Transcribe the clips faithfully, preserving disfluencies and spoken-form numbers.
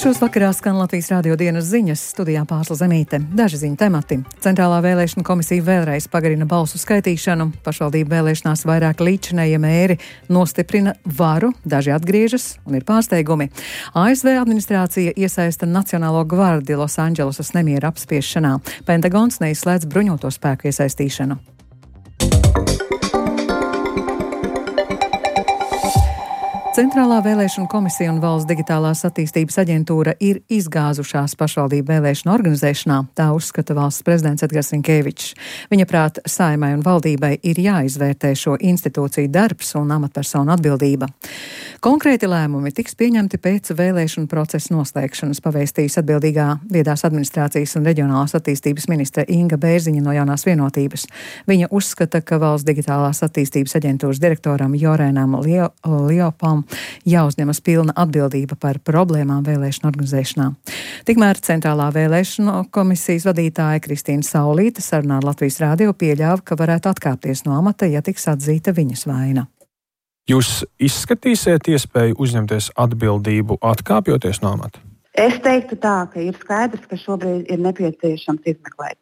Sešos vakarā skan Latvijas Rādio dienas ziņas, studijā Pārsla Zemīte. Daži ziņu temati. Centrālā vēlēšana komisija vēlreiz pagarina balsu skaitīšanu. Pašvaldību vēlēšanās vairāk līdzinējie mēri nostiprina varu, daži atgriežas un ir pārsteigumi. A S V administrācija iesaista Nacionālo gvardi Losandželosas nemiera apspiešanā. Pentagons neizslēdz bruņoto spēku iesaistīšanu. Centrālā vēlēšana komisija un Valsts digitālās attīstības aģentūra ir izgāzušās pašvaldību vēlēšanu organizēšanā, tā uzskata valsts prezidents Edgars Rinkēvičs. Viņa prāt, Saeimai un valdībai ir jāizvērtē šo institūciju darbs un amatpersonu atbildība. Konkrēti lēmumi tiks pieņemti pēc vēlēšanu procesa noslēgšanas, pavēstījis atbildīgā viedās administrācijas un reģionālās attīstības ministre Inga Bērziņa no Jaunās vienotības. Viņa uzskata, ka Valsts digitālās attīstības aģentūras direktoram Jorēnam Lio, Liopam jāuzņemas pilna atbildība par problēmām vēlēšanu organizēšanā. Tikmēr Centrālā vēlēšana komisijas vadītāja Kristīna Saulīte sarunā ar Latvijas Rādio pieļāva, ka varētu atkāpties no amata, ja tiks atzīta viņas vaina. Jūs izskatīsiet iespēju uzņemties atbildību atkāpjoties no amata? Es teiktu tā, ka ir skaidrs, ka šobrīd ir nepieciešams izmeklēt.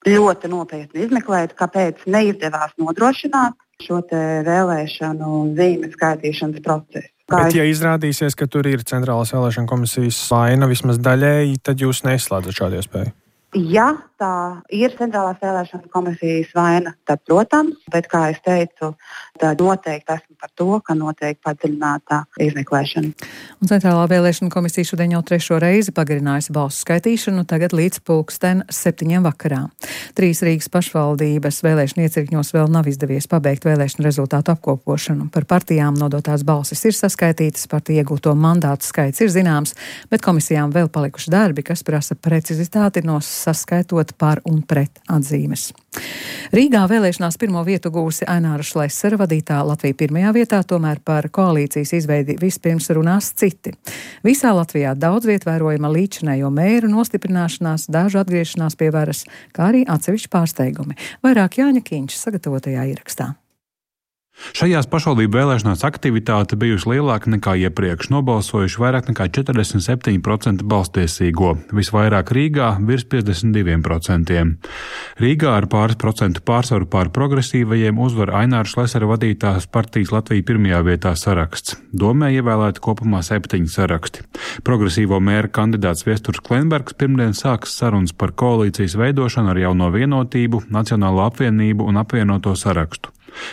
Ļoti nopietni izmeklēt, kāpēc neizdevās nodrošināt šo te vēlēšanu zīmju skaitīšanas procesu. Kā Bet, es... ja izrādīsies, ka tur ir Centrālās vēlēšana komisijas vaina vismaz daļēji, tad jūs neizslēdzat šādu iespēju? Ja tā ir Centrālās vēlēšana komisijas vaina, tad, protams, bet, kā es teicu, tad noteikti esmu par to, ka notiek padziļinātā izmeklēšana. Un Centrālā vēlēšana komisija šodien jau trešo reizi pagarinājusi balsu skaitīšanu, tagad līdz pulksten septiņiem vakarā. Trīs Rīgas pašvaldības vēlēšana iecirkņos vēl nav izdevies pabeigt vēlēšanu rezultātu apkopošanu. Par partijām nodotās balsis ir saskaitītas, partiju iegūto mandātu skaits ir zināms, bet komisijām vēl palikuši darbi, kas prasa precizitāti no saskaitot par un pret atzīmes. Rīgā vēlēšanās pirmo vietu gūsi Aināra Šlesera vadītā Latvija pirmajā vietā, tomēr par koalīcijas izveidi vispirms runās citi. Visā Latvijā daudz viet vērojama līdzinējo mēru nostiprināšanās, dažu atgriešanās pie varas, kā arī atsevišķi pārsteigumi. Vairāk Jāņa Kīņš sagatavotajā ierakstā. Šajās pašvaldību vēlēšanās aktivitāte bijusi lielāka nekā iepriekš, nobalsojuši vairāk nekā četrdesmit septiņi procenti balstiesīgo, visvairāk Rīgā virs piecdesmit divi procenti. Rīgā ar pāris procentu pārsvaru pār progresīvajiem uzvar Aināra Šlesera vadītās partijas Latvija pirmajā vietā saraksts. Domē ievēlēti kopumā septiņi saraksti. Progresīvo mēra kandidāts Viesturs Klenbergs pirmdien sāks sarunas par koalīcijas veidošanu ar Jauno vienotību, Nacionālo apvienību un apvienoto sarakstu.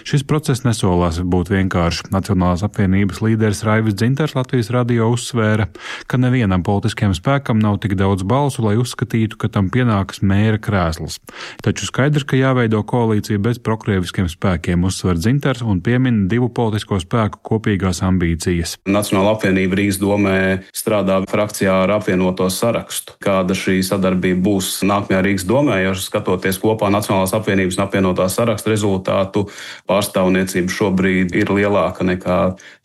Šis process nesolās būt vienkārši. Nacionālās apvienības līderis Raivis Dzintars Latvijas radio uzsvēra, ka nevienam politiskajam spēkam nav tik daudz balsu, lai uzskatītu, ka tam pienākas mēra krēsls. Taču skaidrs, ka jāveido koalīcija bez prokrieviskiem spēkiem, uzsver Dzintars un piemin divu politisko spēku kopīgās ambīcijas. Nacionāla apvienība Rīgas domē strādā frakcijā ar apvienoto sarakstu. Kāda šī sadarbība būs nākamajā Rīgas domē, jo skatoties kopā Nacionālās apvienības un apvienotā saraksta rezultātu, pārstāvniecība šobrīd ir lielāka nekā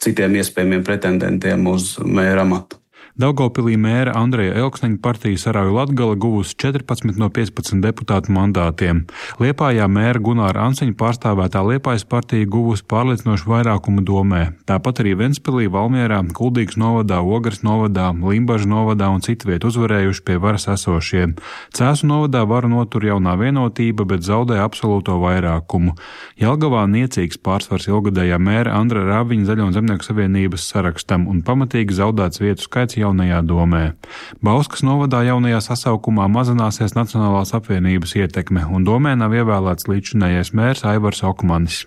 citiem iespējamiem pretendentiem uz mēra amatu. Daugavpilī mēra Andreja Elksniņa partija Sarauju Latgale guvusi četrpadsmit no piecpadsmit deputātu mandātiem. Liepājā mēra Gunāra Ansiņa pārstāvētā Liepājas partija guvusi pārliecinošu vairākumu domē. Tāpat arī Ventspilī, Valmierā, Kuldīgas novadā, Ogres novadā, Limbažu novadā un citviet uzvarējuši pie varas esošie. Cēsu novadā varu notur Jaunā vienotība, bet zaudē absolūto vairākumu. Jelgavā niecīgs pārsvars ilgadējā mēra Andra Rāviņa Zaļo un Zemnieku savienības sarakstam un pamatīgi zaudēts vietu skaits jaunajā domē. Bauskas novadā jaunajā sasaukumā mazināsies Nacionālās apvienības ietekme, un domē nav ievēlēts līdzinājais mērs Aivars Okmanis.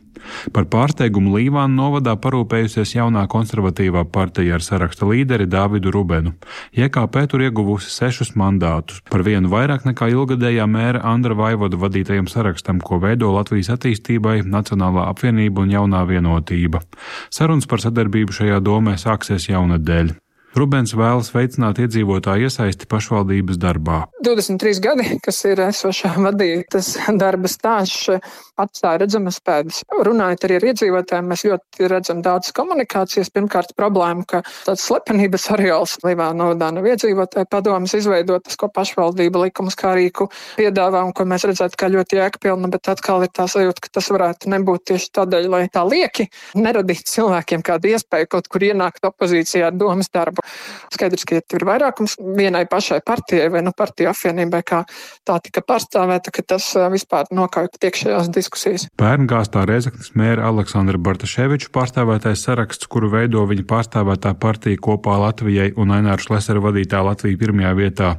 Par pārsteigumu Līvānu novadā parūpējusies jaunā konservatīvā partija ar saraksta līderi Dāvidu Rubenu. J K P tur ieguvusi sešus mandātus, par vienu vairāk nekā ilgadējā mēra Andra Vaivoda vadītajam sarakstam, ko veido Latvijas attīstībai, Nacionālā apvienība un Jaunā vienotība. Sarunas par sadarbību šajā domē sāksies jaunadēļ. Rubens vēlas veicināt iedzīvotāju iesaisti pašvaldības darbā. divdesmit trīs gadi, kas ir esošā vadītas darba stāsts, atstāja redzamas pēdas. Runājot arī ar iedzīvotājiem, mēs ļoti redzam daudz komunikācijas. Pirmkārt, problēma, ka tāds slepenības areāls Līvānu novadā nav iedzīvotāju padomas izveidotas, ko pašvaldība likumus kā rīku piedāvā un ko mēs redzētu kā ļoti jēgpilna, bet atkal ir tā sajūta, ka tas varētu nebūt tieši tādēļ, lai tā lieki neradītu cilvēkiem kādu iespēju kaut kur ienākt opozīcijā ar domas darbu. Skaidrs, ka ja ir vairākums vienai pašai partijai vai nu partiju apvienībai, kā tā tika pārstāvēta, ka tas vispār nokauj iekšējās diskusijas. Pērngāstā Rēzeknes mēra Aleksandra Bartaševiča pārstāvētais saraksts, kuru veido viņa pārstāvētā partija Kopā Latvijai un Aināra Šlesera vadītā Latvija pirmajā vietā,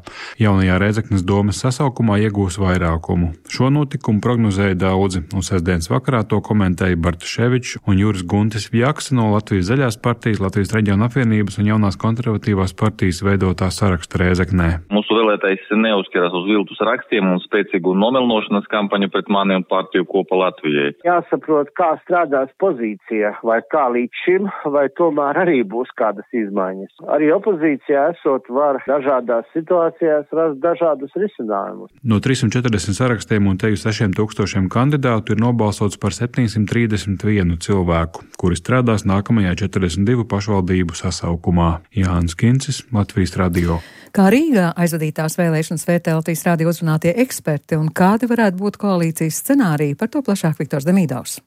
jaunajā Rēzeknes domes sasaukumā iegūs vairākumu. Šo notikumu prognozēja daudzi, un sestdienas vakarā to komentēja Bartaševičs un Juris Guntis Vjaksa no Latvijas zaļās partijas, Latvijas reģiona apvienības un jaunās konservatīvās partijas veidotā saraksta Rēzeknē. Mūsu vēlētājs neuzskatās uz viltus rakstiem un spēcīgu nomelnošanas kampaņu pret mani un partiju Kopā Latvijai. Jāsaprot, kā strādās pozīcija, vai kā līdz šim, vai tomēr arī būs kādas izmaiņas. Arī opozīcijā esot var dažādās situācijās rast dažādus risinājumus. No trīssimt četrdesmit sarakstiem un teju sešiem tūkstošiem kandidātu ir nobalsots par septiņsimt trīsdesmit vienu cilvēku, kuri strādās nākamajā četrdesmit divu pašvaldību sasaukumā. Jānis Kincis, Latvijas radio. Kā Rīgā aizvadītās vēlēšanas vērtē Latvijas radio uzrunātie eksperti un kādi varētu būt koalīcijas scenāriji, par to plašāk Viktors Demīdovs.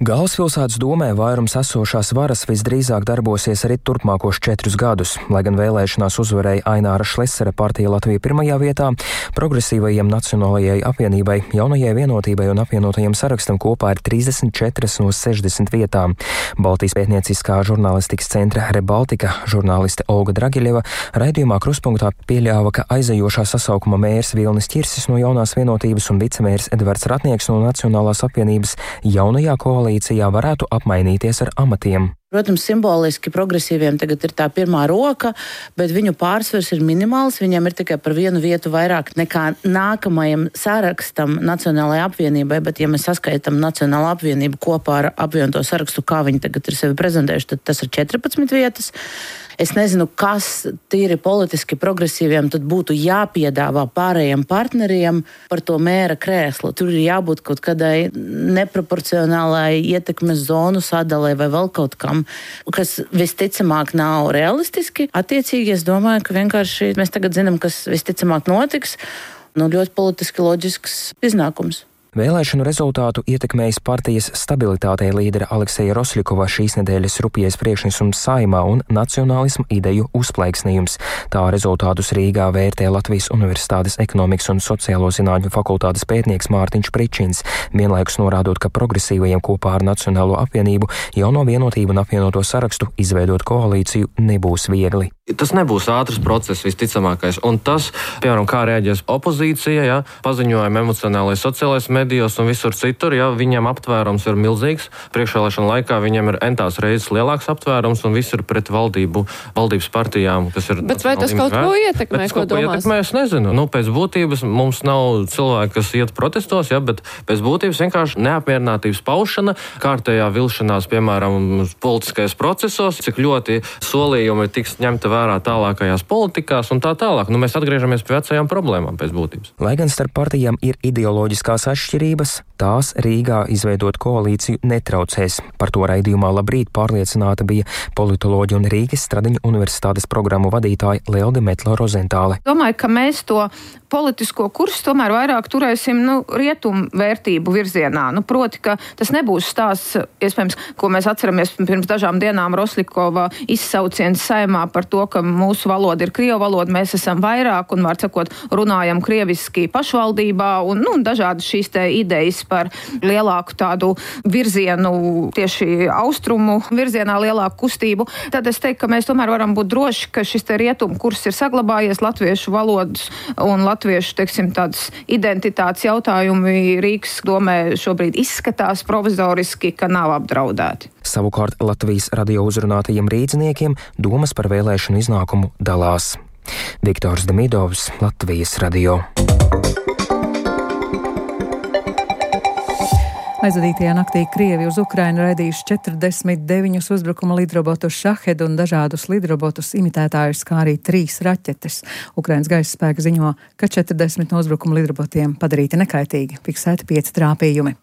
Galvaspilsētas domē vairums esošās varas visdrīzāk darbosies arī turpmākos četrus gadus. Lai gan vēlēšanās uzvarēja Aināra Šlesera partija Latvija pirmajā vietā, progresīvajiem Nacionālajai apvienībai, Jaunajai vienotībai un apvienotajiem sarakstam kopā ir trīsdesmit četras no sešdesmit vietām. Baltijas pētnieciskā žurnālistikas centra Rebaltika žurnāliste Olga Dragiļeva raidījumā Kruspunktā pieļāva, ka aizejošā sasaukuma mērs Vilnis Ķirsis no Jaunās vienotības un vicemērs Edvards Ratnieks no Nacionālās apvienības jaunajā koalīcijā varētu apmainīties ar amatiem. Protams, simboliski progresīviem tagad ir tā pirmā roka, bet viņu pārsvars ir minimāls. Viņam ir tikai par vienu vietu vairāk nekā nākamajam sarakstam Nacionālajai apvienībai, bet ja mēs saskaitam Nacionālo apvienību kopā ar apvienoto sarakstu, kā viņi tagad ir sevi prezentējuši, tad tas ir četrpadsmit vietas. Es nezinu, kas tīri politiski progresīviem tad būtu jāpiedāvā pārējiem partneriem par to mēra krēslu. Tur ir jābūt kaut kādai neproporcionālai ietekmes zonu sadalē vai vēl kaut kam, kas visticamāk nav realistiski. Attiecīgi es domāju, ka vienkārši mēs tagad zinām, kas visticamāk notiks. Nu, ļoti politiski loģisks iznākums. Vēlēšanu rezultātu ietekmējis partijas stabilitātei līdera Alekseja Rosļikova šīs nedēļas rupjais priekšnesums Saeimā un nacionālismu ideju uzplaiksnījums. Tā rezultātus Rīgā vērtē Latvijas Universitātes ekonomikas un sociālo zinātņu fakultātes pētnieks Mārtiņš Pričins, vienlaikus norādot, ka progresīvajiem kopā ar Nacionālo apvienību, Jauno vienotību un apvienoto sarakstu izveidot koalīciju nebūs viegli. Tas nebūs ātrs process visticamākais, un tas, piemēram, kā reaģēs opozīcija, ja, paziņojumi emocionālais sociālais medijos un visur citur, ja viņiem aptvērums ir milzīgs. Priekšvēlēšana laikā viņiem ir entās reizes lielāks aptvērums un viss ir pret valdību, valdības partijām, kas ir... Bet vai tas kaut ko ietekmē, ko domās? Ietekmē, es nezinu. Nu, pēc būtības mums nav cilvēki, kas iet protestos, ja, bet pēc būtības vienkārši neapmierinātības paušana, kārtējā vilšanās, piemēram, politiskajos procesos, cik ļoti solījumi tiks ņemta vērā tālākajās politikās un tā tālāk. Nu, mēs atgriežamies pie vecajām problēmām pēc būtības. Lai gan starp partijām ir ideoloģiskās atšķirības, tās Rīgā izveidot koalīciju netraucēs. Par to raidījumā Labrīt pārliecināta bija politoloģi un Rīgas Stradiņu universitātes programmu vadītāja Lelde Metlo Rozentāle. Domāju, ka mēs to politisko kursu tomēr vairāk turēsim nu, rietumu vērtību virzienā. Nu, proti, ka tas nebūs stāsts, iespējams, ko mēs atceramies pirms dažām dienām Rosļikova izsauciens Saeimā par to, ka mūsu valoda ir krievu valoda, mēs esam vairāk un, var sakot, runājam krieviski pašvaldībā un nu, dažādas šīs te idejas par lielāku tādu virzienu, tieši austrumu virzienā lielāku kustību. Tad es teiktu, ka mēs tomēr varam būt droši, ka šis te rietumu kurs ir saglabājies, latviešu valodas un latviešu, teiksim, tādas identitātes jautājumi Rīgas domē šobrīd izskatās provizoriski, ka nav apdraudēti. Savukārt Latvijas radio uzrunātajiem rīdziniekiem domas par vēlēšanu iznākumu dalās. Viktors Demīdovs, Latvijas radio. Aizvadītajā naktī Krievi uz Ukrainu raidījuši četrdesmit deviņus uzbrukuma lidrobotus Šahed un dažādus lidrobotus imitētājus, kā arī trīs raķetes. Ukrainas gaisa spēki ziņo, ka četrdesmit no uzbrukuma lidrobotiem padarīti nekaitīgi, fiksēti pieci trāpījumi.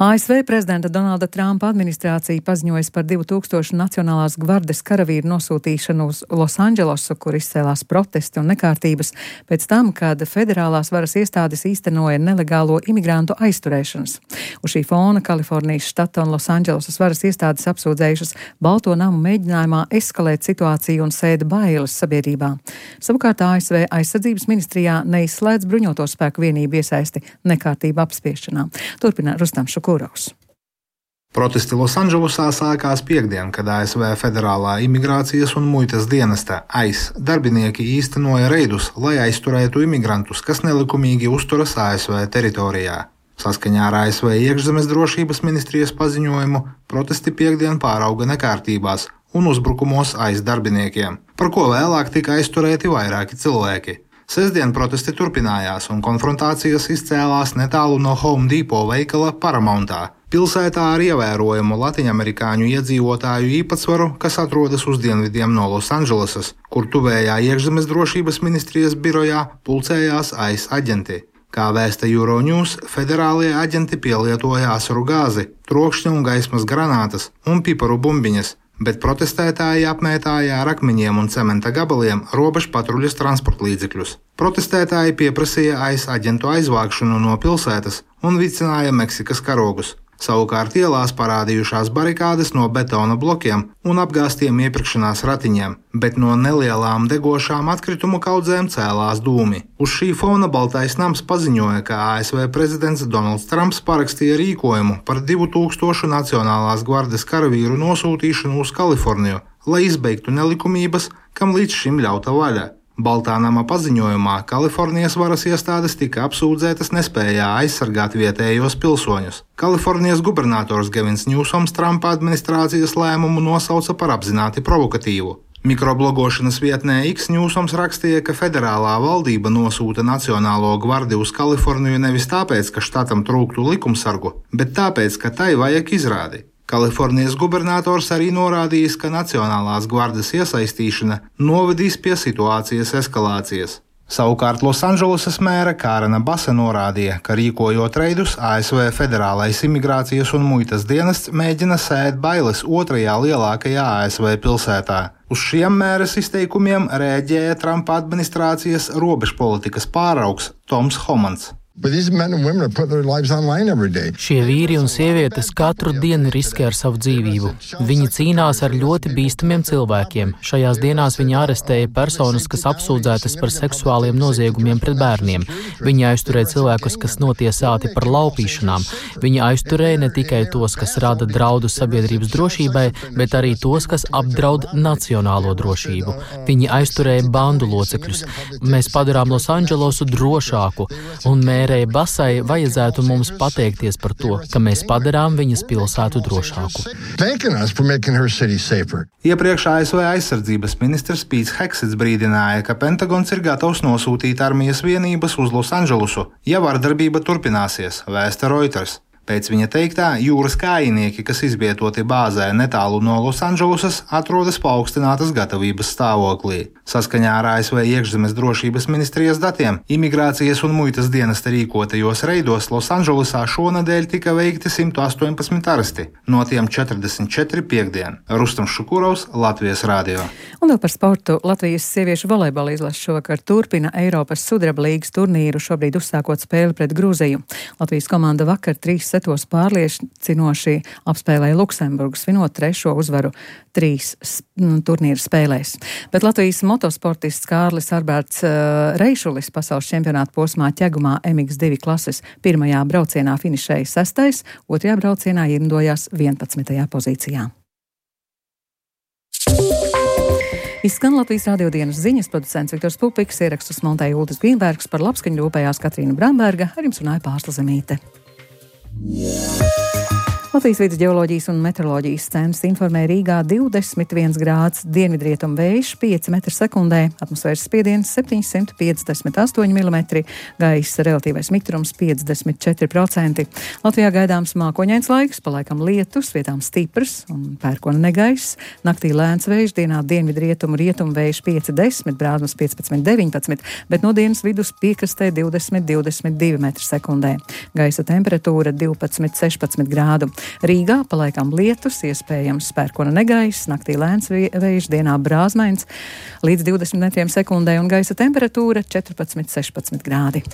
A S V prezidenta Donalda Trumpa administrācija paziņojas par divu tūkstošu Nacionālās gvardes karavīru nosūtīšanu uz Losandželosu, kur izcēlās protesti un nekārtības pēc tam, kad federālās varas iestādes īstenoja nelegālo imigrantu aizturēšanas. Uz šī fona Kalifornijas štata un Losandželosas varas iestādes apsūdzējušas Balto namu mēģinājumā eskalēt situāciju un sēda bailes sabiedrībā. Savukārt A S V aizsardzības ministrijā neizslēdz bruņoto spēku vienību iesaisti nekārtību apspiešanā. Turpina Rustams Šukurovs. Protesti Losandželosā sākās piektdien, kad A S V Federālā imigrācijas un muitas dienesta I C E darbinieki īstenoja reidus, lai aizturētu imigrantus, kas nelikumīgi uzturas A S V teritorijā. Saskaņā ar A S V iekšzemes drošības ministrijas paziņojumu, protesti piektdien pārauga nekārtībās un uzbrukumos I C E darbiniekiem, par ko vēlāk tika aizturēti vairāki cilvēki. Sestdien protesti turpinājās un konfrontācijas izcēlās netālu no Home Depot veikala Paramountā, pilsētā ar ievērojamu latviņamerikāņu iedzīvotāju īpatsvaru, kas atrodas uz dienvidiem no Losandželosas, kur tuvējā iekšzemes drošības ministrijas birojā pulcējās I C E aģenti. Kā vēsta Euronews, federālie aģenti pielietoja asaru gāzi, trokšņa un gaismas granātas un piparu bumbiņas, bet protestētāji apmētāja ar akmeņiem un cementa gabaliem robežu patruļas transportlīdzekļus. Protestētāji pieprasīja I C E aģentu aizvākšanu no pilsētas un vicināja Meksikas karogus. Savukārt ielās parādījušās barikādes no betona blokiem un apgāstiem iepirkšanās ratiņiem, bet no nelielām degošām atkritumu kaudzēm cēlās dūmi. Uz šī fona Baltais nams paziņoja, ka A S V prezidents Donalds Trumps parakstīja rīkojumu par divu tūkstošu Nacionālās gvardes karavīru nosūtīšanu uz Kaliforniju, lai izbeigtu nelikumības, kam līdz šim ļauta vaļa. Baltā nama paziņojumā Kalifornijas varas iestādes tika apsūdzētas nespējā aizsargāt vietējos pilsoņus. Kalifornijas gubernators Gevins Ņūsoms Trumpa administrācijas lēmumu nosauca par apzināti provokatīvu. Mikroblogošanas vietnē X Ņūsoms rakstīja, ka federālā valdība nosūta Nacionālo gvardi uz Kaliforniju nevis tāpēc, ka štatam trūktu likumsargu, bet tāpēc, ka tai vajag izrādi. Kalifornijas gubernators arī norādījis, ka Nacionālās gvardes iesaistīšana novedīs pie situācijas eskalācijas. Savukārt Losandželosas mēra Kārena Basa norādīja, ka rīkojot reidus, A S V Federālais imigrācijas un muitas dienests mēģina sēt bailes otrajā lielākajā A S V pilsētā. Uz šiem mēras izteikumiem rēģēja Trumpa administrācijas robežpolitikas pāraugs Toms Homans. Šie vīri un sievietes katru dienu riskē ar savu dzīvību. Viņi cīnās ar ļoti bīstamiem cilvēkiem. Šajās dienās viņi arestēja personas, kas apsūdzētas par seksuāliem noziegumiem pret bērniem. Viņi aizturēja cilvēkus, kas notiesāti par laupīšanām. Viņi aizturēja ne tikai tos, kas rada draudu sabiedrības drošībai, bet arī tos, kas apdraud nacionālo drošību. Viņi aizturēja bandu locekļus. Mēs padarām Losandželosu drošāku, un mēs Mērei Basai vajadzētu mums pateikties par to, ka mēs padarām viņas pilsētu drošāku. Iepriekš A S V aizsardzības ministrs Pīts Heksets brīdināja, ka Pentagons ir gatavs nosūtīt armijas vienības uz Losandželosu, ja vardarbība turpināsies, vēsta Reuters. Pēc viņa teiktā, jūras kājinieki, kas izvietoti bāzē netālu no Losandželosas, atrodas paaugstinātas gatavības stāvoklī. Saskaņā ar A S V iekšzemes drošības ministrijas datiem, imigrācijas un muitas dienesta rīkotajos reidos Losandželosā šonadēļ tika veikti simt astoņpadsmit aresti, no tiem četrdesmit četri piektdien. Rustams Šukurovs, Latvijas radio. Un vēl par sportu. Latvijas sieviešu volejbola izlase šovakar turpina Eiropas sudraba līgas turnīru, šobrīd uzsākot spēli pret Grūziju. Latvijas komanda vakar trīs setos pārliecinoši apspēlēja Luksemburgu, svinot trešo uzvaru trīs turnīru spēlēs. Bet Latvijas motosportists Kārlis Arberts uh, Reišulis pasaules čempionāta posmā ķegumā M X divi klases pirmajā braucienā finišēja sestais, otrajā braucienā ierindojās vienpadsmitajā pozīcijā. Izskan Latvijas radio dienas ziņas, producents Viktors Pupiks, ierakstus montēja Uldis Grīnbergs, par labskaņu rūpējās Katrīna Bramberga, ar jums runāja Pārsla Zemīte. Latvijas Vides ģeoloģijas un meteoroloģijas centrs informē Rīgā divdesmit viens grāds, dienvidrietumu vējš pieci metri sekundē, atmosfēras spiediens septiņsimt piecdesmit astoņi milimetri, gaisa relatīvais mitrums piecdesmit četri procenti. Latvijā gaidāms mākoņains laiks, palaikam lietus, vietām stiprs un pērkona negaiss, naktī lēns vējš, dienā dienvidrietumu rietumu vējš pieci desmit, brāzmas piecpadsmit deviņpadsmit, bet no dienas vidus piekrastē divdesmit divdesmit divi metri sekundē. Gaisa temperatūra divpadsmit sešpadsmit grādu. Rīgā palaikam lietus, iespējams pērkona negaiss, naktī lēns vējš, dienā brāzmains līdz divdesmit metriem sekundē un gaisa temperatūra četrpadsmit sešpadsmit grādi.